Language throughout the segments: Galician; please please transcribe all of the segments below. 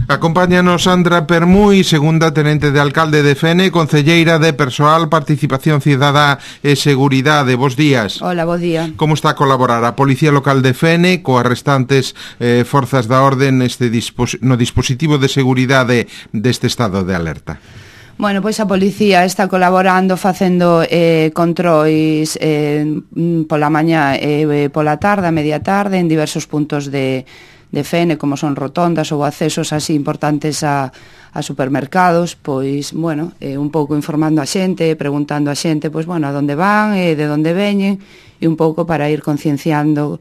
Acompáñanos Sandra Permui, segunda tenente de alcalde de Fene, concelleira de Persoal, Participación Cidadá e Seguridade. Bos días. Hola, bo día. Como está a colaborar a Policía Local de Fene coas restantes forzas da orde no dispositivo de seguridade deste estado de alerta? Bueno, pois a policía está colaborando facendo controis pola mañá e pola tarde, a media tarde, en diversos puntos de Fene, como son rotondas ou accesos así importantes a supermercados, pois, bueno, un pouco informando a xente, preguntando a xente, pois, bueno, a donde van, de onde veñen, e un pouco para ir concienciando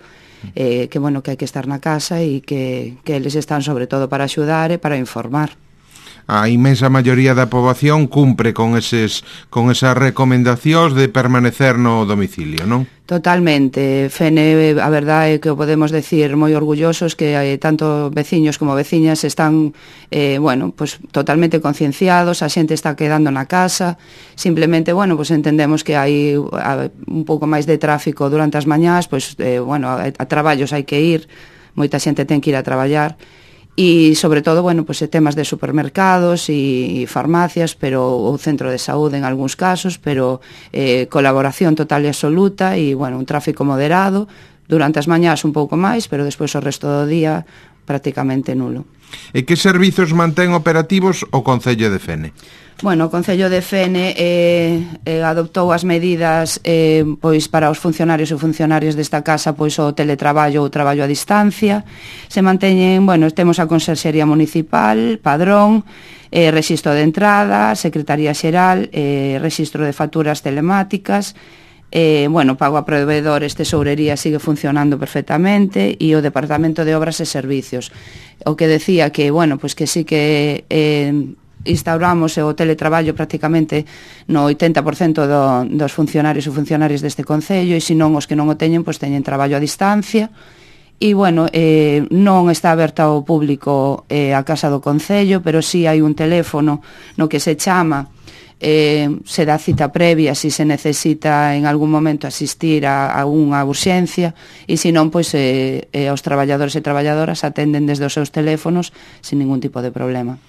que, bueno, que hai que estar na casa e que eles están sobre todo para axudar e para informar. A inmensa maioría da poboación cumpre con esas recomendacións de permanecer no domicilio, non? Totalmente. Fene, a verdade é que o podemos decir moi orgullosos que tanto veciños como veciñas están, bueno, pues totalmente concienciados, a xente está quedando na casa, simplemente, bueno, pues entendemos que hai un pouco máis de tráfico durante as mañás, pues, bueno, a traballos hai que ir, moita xente ten que ir a traballar, e sobre todo, bueno, pues temas de supermercados e farmacias, pero o centro de saúde en algúns casos, pero colaboración total e absoluta e, bueno, un tráfico moderado, durante as mañás un pouco máis, pero despois o resto do día prácticamente nulo. E que servizos mantén operativos o Concello de Fene? Bueno, o Concello de Fene adoptou as medidas pois para os funcionarios e funcionarias desta casa, pois o teletraballo ou traballo a distancia. Se manteñen, bueno, temos a Consellería Municipal, Padrón, Rexistro de Entrada, Secretaría Xeral, Rexistro de Facturas Telemáticas, bueno, pago a proveedores, tesourería sigue funcionando perfectamente e o Departamento de Obras e Servicios. O que decía que, bueno, pois que sí que instauramos o teletraballo prácticamente no 80% dos funcionarios e funcionarias deste Concello, e se non os que non o teñen, pois teñen traballo a distancia. E, bueno, non está aberta ao público a Casa do Concello, pero sí hai un teléfono no que se chama, se dá cita previa se necesita en algún momento asistir a unha urxencia, e se non, pois os traballadores e traballadoras atenden desde os seus teléfonos sin ningún tipo de problema.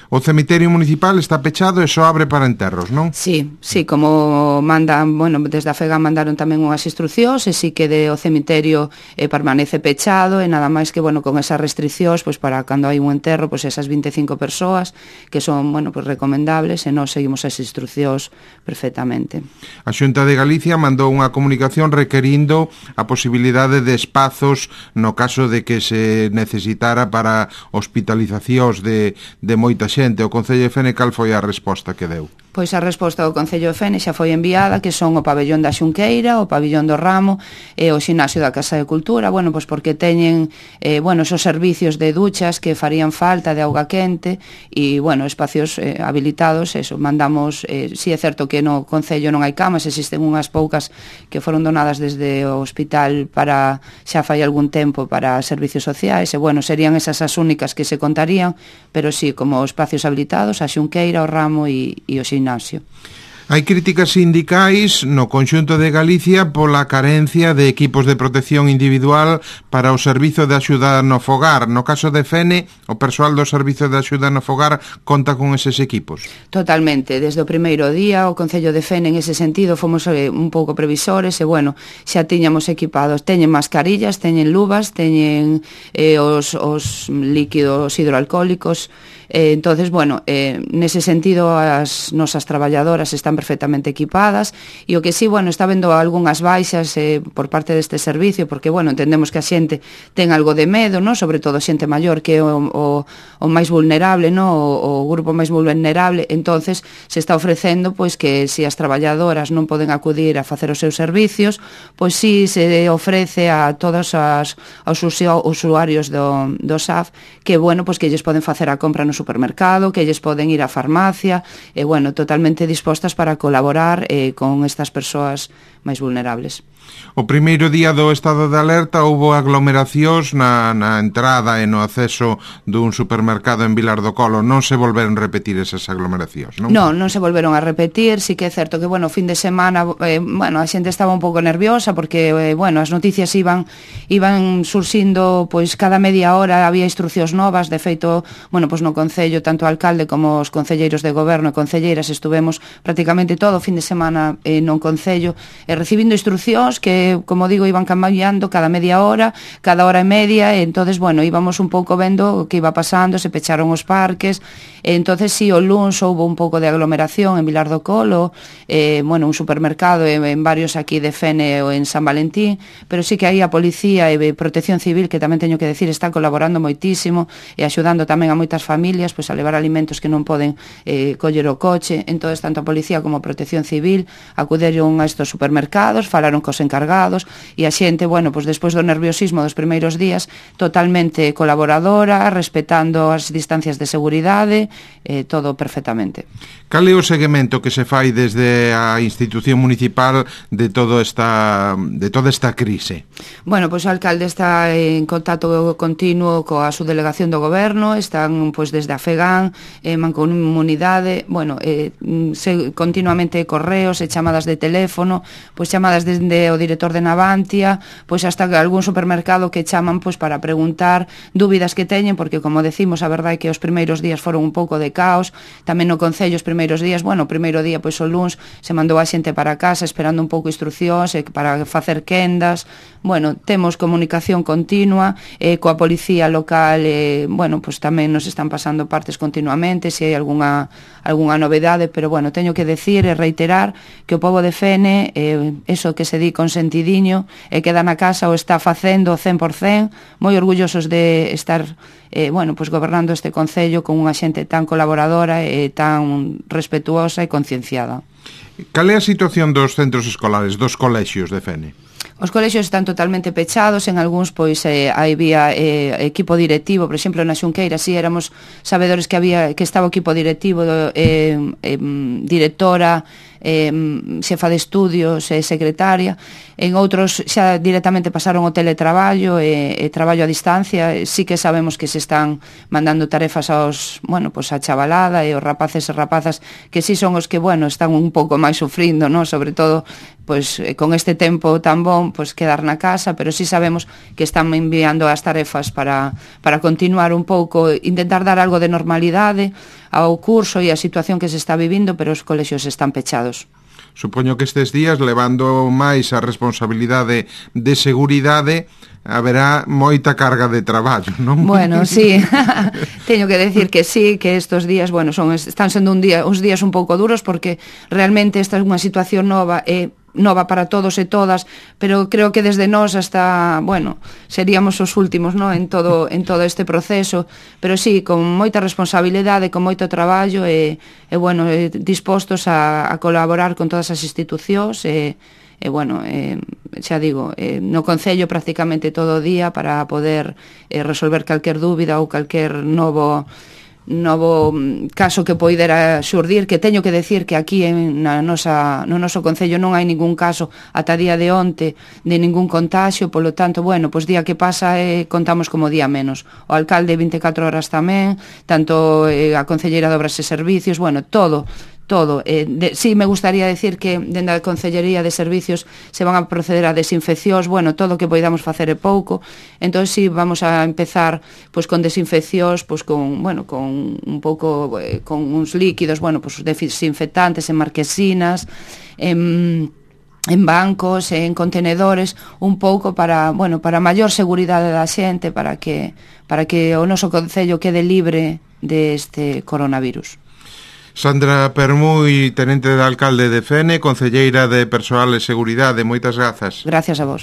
O cemiterio municipal está pechado e só abre para enterros, non? Sí, como mandan, bueno, desde a FEGA mandaron tamén unhas instruccións, e sí que o cemiterio permanece pechado, e nada máis que, bueno, con esas restriccións, pois para cando hai un enterro, pois esas 25 persoas que son, bueno, pois recomendables, e nós seguimos as instruccións perfectamente. A Xunta de Galicia mandou unha comunicación requerindo a posibilidade de espazos no caso de que se necesitara para hospitalizacións de moita xente. O Concello de Fene, cal foi a resposta que deu? Pois a resposta do Concello de Fene xa foi enviada, que son o pabellón da Xunqueira, o pabellón do Ramo e o xinasio da Casa de Cultura, bueno, pois porque teñen, bueno, esos servicios de duchas que farían falta, de auga quente e, bueno, espacios habilitados, eso, mandamos, si é certo que no Concello non hai camas, existen unhas poucas que foron donadas desde o hospital para, xa fai algún tempo, para servicios sociais, e, bueno, serían esas as únicas que se contarían, pero sí, como espacios habilitados, a Xunqueira, o Ramo e o xinasio. Hai críticas sindicais no conxunto de Galicia pola carencia de equipos de protección individual para o servizo de axuda no fogar. No caso de Fene, o persoal do servizo de axuda no fogar conta con eses equipos? Totalmente. Desde o primeiro día, o Concello de Fene, en ese sentido, fomos un pouco previsores e, bueno, xa tiñamos equipados. Teñen mascarillas, teñen luvas, teñen os líquidos hidroalcohólicos. Entonces, bueno, nese sentido as nosas traballadoras están perfectamente equipadas, e o que sí, bueno, está vendo algunhas baixas por parte deste servicio, porque, bueno, entendemos que a xente ten algo de medo, no? Sobre todo xente maior, que é o máis vulnerable, no? O grupo máis vulnerable. Entonces se está ofrecendo, pois, que se as traballadoras non poden acudir a facer os seus servicios, pois sí se ofrece a todos os usuarios do SAF que, bueno, pois que lles poden facer a compra no supermercado, que lles poden ir á farmacia, e, bueno, totalmente dispostas para para colaborar con estas persoas máis vulnerables. O primeiro día do estado de alerta houbo aglomeracións na entrada e no acceso dun supermercado en Vilar do Colo. Non se volveron repetir esas aglomeracións, non? Non se volveron a repetir. Sí que é certo que, bueno, fin de semana, a xente estaba un pouco nerviosa porque, as noticias iban surxindo, pois cada media hora había instruccións novas. De feito, no Concello, tanto o alcalde como os concelleiros de goberno e concelleiras estuvemos prácticamente todo o fin de semana no Concello recibindo instruccións que, como digo, iban cambiando cada media hora, cada hora e media, e entonces, íbamos un pouco vendo o que iba pasando, se pecharon os parques, e entonces sí, o luns houve un pouco de aglomeración en Vilar do Colo, un supermercado en varios aquí de Fene ou en San Valentín, pero sí que aí a policía e Protección Civil, que tamén teño que decir, está colaborando moitísimo e axudando tamén a moitas familias pois a levar alimentos que non poden coller o coche. Entonces, tanto a policía como a Protección Civil acuderon a estos supermercados, falaron cos encargados, e a xente, despois do nerviosismo dos primeiros días, totalmente colaboradora, respetando as distancias de seguridade, todo perfectamente. Cal é o seguimento que se fai desde a institución municipal de toda esta crise? O alcalde está en contacto continuo coa subdelegación do goberno, están desde a FEGAN, Mancomunidade, continuamente correos e chamadas de teléfono, chamadas desde o director de Navantia, hasta algún supermercado que chaman para preguntar dúbidas que teñen, porque, como decimos, a verdade é que os primeiros días foron un pouco de caos, tamén no Concello os primeiros días, o primeiro día, o luns, se mandou a xente para casa esperando un pouco instruccións para facer quendas. Temos comunicación continua coa policía local, tamén nos están pasando partes continuamente, se hai algunha novedade, pero, teño que decir e reiterar que o pobo de Fene, eso que se di consentidiño, e queda na casa o está facendo 100%, moi orgullosos de estar gobernando este Concello con unha xente tan colaboradora e tan respetuosa e concienciada. Cal é a situación dos centros escolares, dos colexios de Fene? Os colexios están totalmente pechados, en algúns había equipo directivo, por exemplo na Xunqueira si éramos sabedores que estaba o equipo directivo, directora, xefa de estudios e secretaria. En outros xa directamente pasaron o teletraballo e traballo a distancia. Sí que sabemos que se están mandando tarefas a chavalada e os rapaces e rapazas que sí son os que, están un pouco máis sufrindo, ¿no? Sobre todo con este tempo tan bon, quedar na casa, pero sí sabemos que están enviando as tarefas para continuar un pouco, intentar dar algo de normalidade ao curso e a situación que se está vivindo, pero os colexios están pechados. Supoño que estes días, levando máis a responsabilidade de seguridade, haberá moita carga de traballo, non? Sí, teño que decir que sí, que estes días, están sendo uns días un pouco duros, porque realmente esta é unha situación nova para todos e todas, pero creo que desde nós hasta, seríamos os últimos, ¿no? en todo este proceso, pero sí, con moita responsabilidade, con moito traballo e dispostos a colaborar con todas as institucións xa digo, no Concello prácticamente todo o día para poder resolver calquer dúbida ou calquer novo caso que poidera xurdir, que teño que decir que aquí no noso Concello non hai ningún caso ata día de onte de ningún contagio, polo tanto, día que pasa contamos como día menos. O alcalde 24 horas tamén, tanto a concelleira de Obras e Servicios, todo. Sí, me gustaría decir que dende a Concellería de Servicios se van a proceder a desinfeccións, todo o que poidamos facer é pouco. Entón, sí, vamos a empezar con desinfeccións, con un pouco con uns líquidos, desinfectantes en marquesinas, en bancos, en contenedores, un pouco para maior seguridade da xente, para que o noso Concello quede libre deste coronavirus. Sandra Permuy, tenente de alcalde de Fene, concelleira de Persoal e Seguridade, moitas grazas. Gracias a vos.